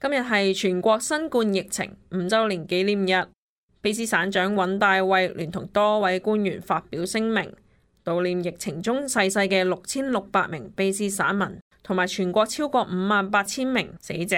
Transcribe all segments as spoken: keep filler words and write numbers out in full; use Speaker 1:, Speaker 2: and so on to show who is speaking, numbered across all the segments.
Speaker 1: 今日係全國新冠疫情五週年紀念日，卑詩省長尹大衛聯同多位官員發表聲明，悼念疫情中逝世嘅六千六百名卑詩省民，同埋全國超過五萬八千名死者，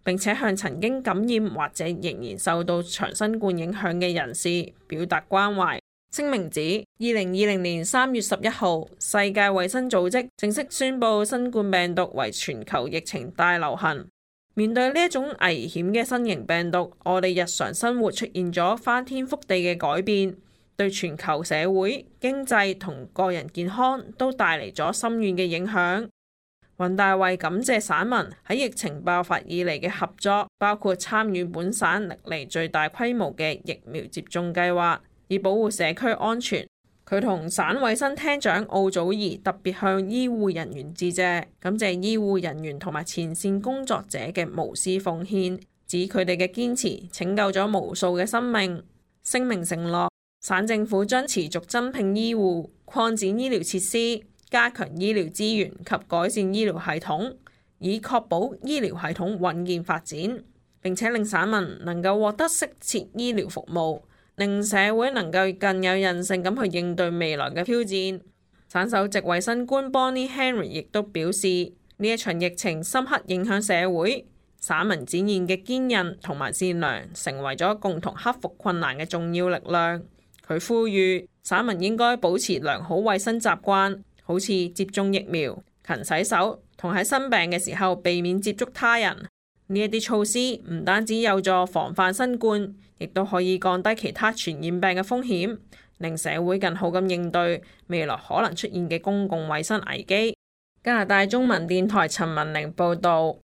Speaker 1: 並且向曾經感染或者仍然受到長新冠影響嘅人士表達關懷。聲明指，二零二零年三月十一號，世界衛生組織正式宣布新冠病毒為全球疫情大流行。面對呢一種危險嘅新型病毒，我哋日常生活出現咗翻天覆地嘅改變，對全球社會、經濟同個人健康都帶嚟咗深遠嘅影響。尹大衛感謝省民喺疫情爆發以嚟嘅合作，包括參與本省歷嚟最大規模嘅疫苗接種計劃，以保護社區安全。佢同省衛生廳長奧祖兒特別向醫護人員致謝，感謝醫護人員同埋前線工作者嘅無私奉獻，指佢哋嘅堅持拯救咗無數嘅生命。聲明承諾，省政府將持續增聘醫護、擴展醫療設施、加強醫療資源及改善醫療系統，以確保醫療系統穩健發展，並且令省民能夠獲得適切醫療服務，令社會能夠更有韌性咁去應對未來嘅挑戰。省首席衛生官 Bonnie Henry 亦都表示，呢一場疫情深刻影響社會，省民展現嘅堅韌同埋善良，成為咗共同克服困難嘅重要力量。佢呼籲省民應該保持良好衛生習慣，好似接種疫苗、勤洗手，同喺生病嘅時候避免接觸他人。呢一啲措施唔單止有助防範新冠，亦都可以降低其他傳染病嘅風險，令社會更好咁應對未來可能出現嘅公共衛生危機。加拿大中文電台陳文玲報導。